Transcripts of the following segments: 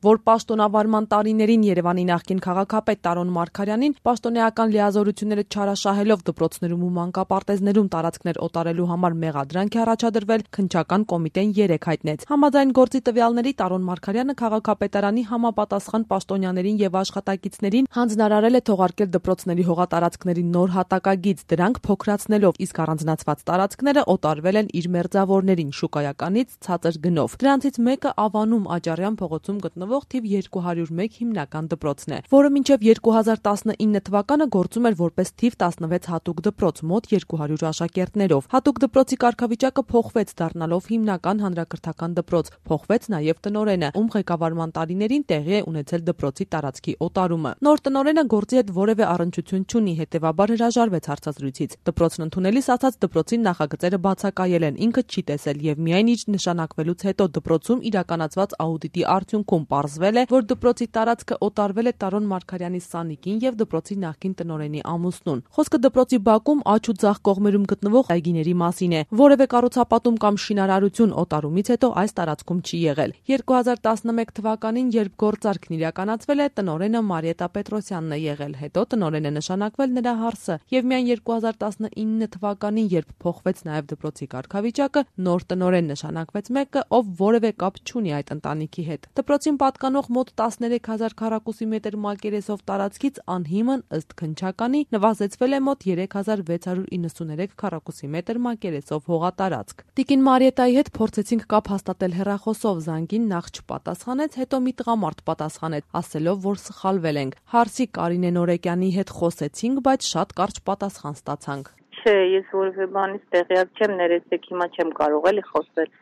որ պաշտոնավարման տարիներին Երևանի նախկին քաղաքապետ Տարոն Մարգարյանին պաշտոնեական լիազորությունները չարաշահելով դպրոցներում ու մանկապարտեզներում տարածքներ օտարելու համար մեղադրանք է առաջադրվել, քննչական կոմիտեն 3 հայտնեց։ Համաձայն գործի տվյալների Տարոն Մարգարյանը քաղաքապետարանի համապատասխան պաշտոնյաներին եւ աշխատակիցներին հանձնարարել է թողարկել դպրոցների հողատարածքների նոր հատակագիծ, դրանք փոքրացնելով, իսկ առանձնացված տարածքները օտարվել են իր մերձավորներին շուկայականից ցածր գնով։ Դրանցից մեկը Ավանում Աճարյան փողոցում գտնվող թիվ 201 հիմնական դպրոցն է, որը մինչև 2019 թվականը գործում էր որպես թիվ 16 հատուկ դպրոց մոտ 200 աշակերտներով։ Հատուկ դպրոցի կարգավիճակը փոխվեց, դառնալով հիմնական հանրակրթական դպրոց, փոխվեց նաև տնօրենը, ում ղեկավարման տարիներին տեղի է ունեցել դպրոցի տարածքի օտարումը։ Նոր տնօրենը գործի հետ որևէ առնչություն չունի, հետևաբար հրաժարվեց հարցազրույցից։ Դպրոցն ընդունելիս ասաց դպրոցի նախագծերը բացակայել են, ինքը չի տեսել եւ միայն իր նշանակվելուց հետո դպրոցում իրականացված աուդիտի արդյունքում պարզվել է, որ դպրոցի տարածքը օտարվել է Տարոն Մարգարյանի սանիկին եւ դպրոցի նախկին տնօրենի ամուսնուն։ Խոսքը դպրոցի բակում աջ ու ձախ կողմերում գտնվող այգիների մասին է։ Որևէ կառուցապատում կամ շինարարություն օտարումից հետո այս տարածքում չի եղել։ 2011 թվականին, երբ գործարքն իրականացվել է, տնօրենը Մարիետա Պետրոսյանն է եղել, հետո տնօրեն է նշանակվել նրա հարսը եւ միայն 2019 թվականին, երբ փոխվեց նաեւ դպրոցի կարգավիճակը, նոր տնօրեն նշանակվեց մեկը, ով որևէ կապ չունի այդ ընտանիքի հետ։ Դպրոցին պատկանող մոտ 13000 քառակուսի մետր մակերեսով տարածքից անհիմն ըստ քննչականի նվազեցվել է մոտ 3693 քառակուսի մետր մակերեսով հողատարածք։ Տիկին Մարիետայի հետ փորձեցինք կապ հաստատել հեռախոսով, զանգին նախ չպատասխանեց, հետո մի տղամարդ պատասխանեց, ասելով, որ սխալվել ենք։ Հարսի Կարինե Նորեկյանի հետ խոսեցինք, բայց շատ կարճ պատասխան ստացանք։ Չէ, ես որևէ բանից տեղյակ չեմ, ներեցեք, հիմա չեմ կարող էլի խոսել։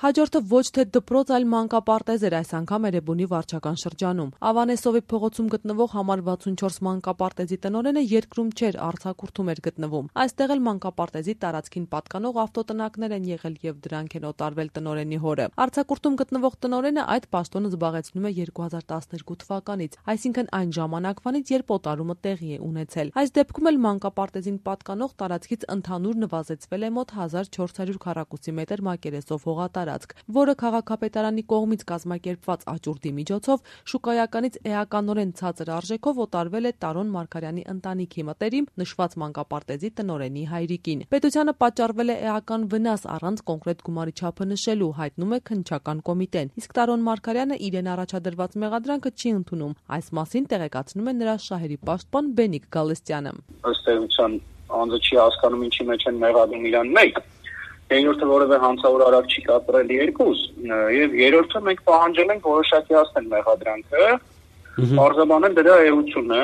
Հաջորդը ոչ թե դպրոց, այլ մանկապարտեզ էր, այս անգամ Էրեբունի վարչական շրջանում։ Ավանեսովի փողոցում գտնվող համար 64 մանկապարտեզի տնօրենը երկրում չէր, արձակուրդում էր գտնվում։ Այստեղ էլ մանկապարտեզի տարածքին պատկանող ավտոտնակներ են եղել եւ դրանք են օտարվել տնօրենի հորը։ Արձակուրդում գտնվող տնօրենը այդ պաշտոնը զբաղեցնում է 2012 թվականից, այսինքն այն ժամանակվանից, երբ օտարումը տեղի է ունեցել։ Այս դեպքում էլ մանկապարտեզին պատկանող տարածքից ընդհանուր նվազեցվել է մոտ 1400 քառակուսի մետր մակերեսով հողատարածք, որը քաղաքապետարանի կողմից կազմակերպված աճուրդի միջոցով շուկայականից էականորեն ցածր արժեքով օտարվել է Տարոն Մարգարյանի ընտանիքի մտերիմ նշված մանկապարտեզի տնօրենի հայրիկին։ Պետությանը պատճառվել է էական վնաս առանց կոնկրետ գումարի չափը նշելու, հայտնում է քննչական կոմիտեն, իսկ Տարոն Մարգարյանը իրեն առաջադրված մեղադրանքը չի ընդունում։ Այս մասին տեղեկացնում է նրա շահերի պաշտպան Բենիկ Գալստյանը։ Ըստ էության անձը չի հասկանում ինչի մեջ են մեղադրում իրան մեկ, երկրորդը որևէ հանցավոր արարք չի կատարել երկուս, եւ երրորդը մենք պահանջել ենք որոշակի հասնել մեղադրանքը, արձագանքել դրա էությունը,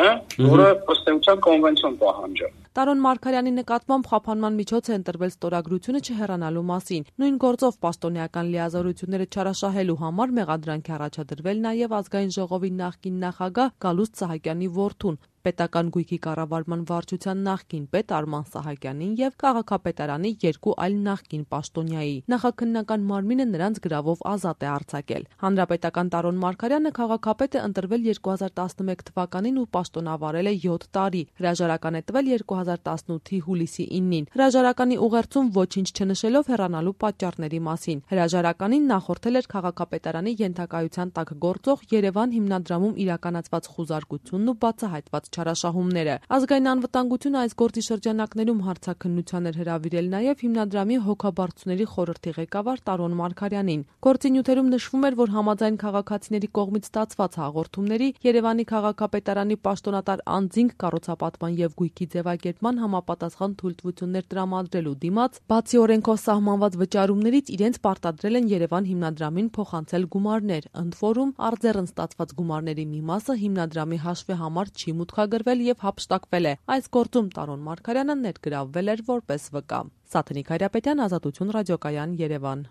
որը ըստ էության կոնվենցիոն պահանջ է։ Տարոն Մարգարյանի նկատմամբ խափանման միջոց է ընտրվել ստորագրությունը չհեռանալու մասին։ Նույն գործով պաշտոնեական լիազորությունները չարաշահելու համար մեղադրանք է առաջադրվել նաև ազգային ժողովի նախկին նախագահ Գալուստ Սահակյանի որդուն, պետական գույքի կառավարման վարչության նախկին պետ Արման Սահակյանին եւ քաղաքապետարանի 2 այլ նախկին պաշտոնյայի։ Նախաքննական մարմինը նրանց գրավով ազատ է արձակել։ Հանրապետական Տարոն Մարգարյանը քաղաքապետ է ընտրվել 2011 թվականին ու պաշտոնավարել է 7 տարի։ Հրաժարական է տվել 2018-ի հուլիսի 9-ին։ Հրաժարականի ուղերձում ոչինչ չնշելով հեռանալու պատճառների մասին։ Հրաժարականին նախորդել էր քաղաքապետարանի ենթակայության տակ գործող Երևան հիմնադրամում իրականացված խուզարկությունն ու բացահայտված չարաշահումները։ Ազգային անվտանգությունը այս գործի շրջանակներում հարցաքննության էր հրավիրել նաև հիմնադրամի հոգաբարձուների խորհրդի ղեկավար Տարոն Մարգարյանին։ Գործի նյութերում նշվում էր, որ համաձայն քաղաքացիների կողմից ստացված հաղորդումների Երևանի քաղաքապետարանի պաշտոնատար անձինք կառուցապատման եւ գույքի ձևակերպման համապատասխան թույլտվություններ տրամադրելու դիմաց, բացի օրենքով սահմանված վճարումներից իրենց պարտադրել են Երևան հիմնադրամին փոխանցել գումարներ, ընդ որում արձեռն ստացված գումարների մի մասը հիմնադրամի հաշվի համար չի մուտքագրվել եւ հափշտակվել է։ Այս գործում Տարոն Մարգարյանը ներգրավվել էր որպես վկա։ Սաթնիկ Հայրապետյան, Ազատություն ռադիոկայան, Երևան։